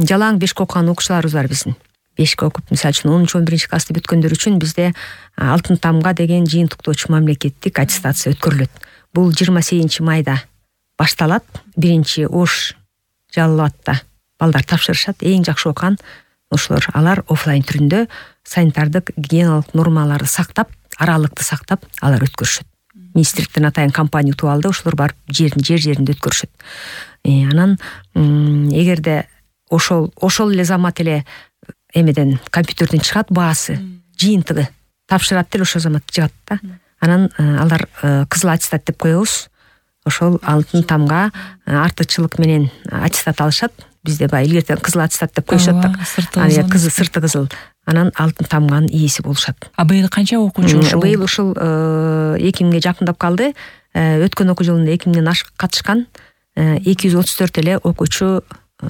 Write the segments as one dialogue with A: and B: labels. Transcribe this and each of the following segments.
A: жалаң бешке окуган окуучуларыбыз бар биздин. Бешке окуп, мисалы үчүн 10-11 классты бүткөндөр үчүн бизде алтын тамга деген жыйынтыктоочу мамлекеттик аттестация өткөрүлөт. Бул 28 майда башталат. 1-Ош Жалал абадта балдар тапшырышат. Эң жакшы окуган ошолор, алар офлайн түрүндө санитардык гигиеналык нормаларды сактап, аралыкты сактап алар өткөрүшөт. Министрликтен атайын компания утуп алды, ошолор барып жеринде өткөрүшөт. Анан эгерде ошол эле замат эле эмеден компьютерден чыгат баасы, жыйынтыгы тапшырат деле ошол замат чыгат да. Анан алар кызыл аттестат деп коебуз. Ошол алтын тамга артыкчылык менен аттестат алышат. Бизде баягы илгертен кызыл аттестат деп коюшат да. Сырты кызыл. Анан алтын тамганын ээси болушат.
B: Быйыл канча окуучу ушул?
A: Быйыл ушул 2000ге жакындап калды. Өткөн окуу жылында 2000ден ашык катышкан 234 эле окуучу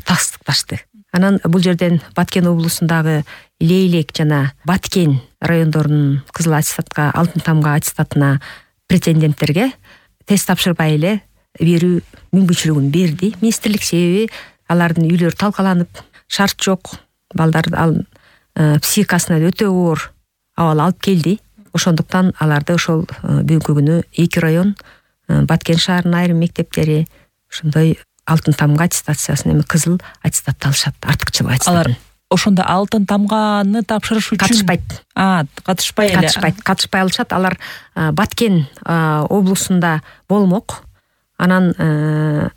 A: тастыкташты. Анан бул жерден Баткен облусундагы Лейлек жана Баткен райондорунун кызыл аттестатка, алтын тамга аттестатына претенденттерге тест тапшырбай эле берүү мүмкүнчүлүгүн берди министрлик. Себеби алардын үйлөрү талкаланып, шарт жок, балдардын психикасына өтө оор абал алып келди. Ошондуктан аларды ошол бүгүнкү күнү 2 район, Баткен шаарынын айрым мектептери ошондой алтын тамга аттестациясын, эми кызыл аттестатты алышат, артыкчылык аттестат.
B: Алар ошондо алтын тамганы тапшырыш үчүн катышпай
A: алышат. Алар Баткен облусунда болмок. Анан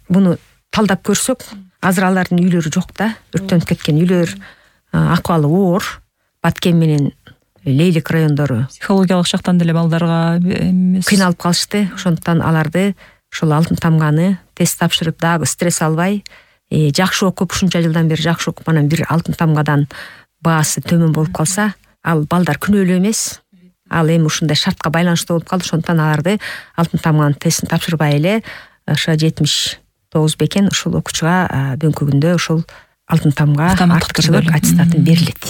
A: буну талдап көрсөк, азыр алардын үйлөрү жок да, өрттөнүп кеткен үйлөр, акыбалы оор. Баткен менен Лейлек райондору
B: психологиялык жактан деле балдарга
A: кыйналып калышты. Ошондуктан аларды ошол алтын тамганы тест тапшырып дагы стресс албай, жакшы окуп, ушунча жылдан бери жакшы окуп, анан бир алтын тамгадан баасы төмөн болуп калса, ал балдар күнөөлүү эмес. Ал эми ушундай шартка байланыштуу болуп калды. Ошондуктан аларды алтын тамганын тестин тапшырбай эле ошо 79 бекен ушул окуучуга бүгүнкү күндө ушул алтын тамга артыкчылык аттестатын берилет.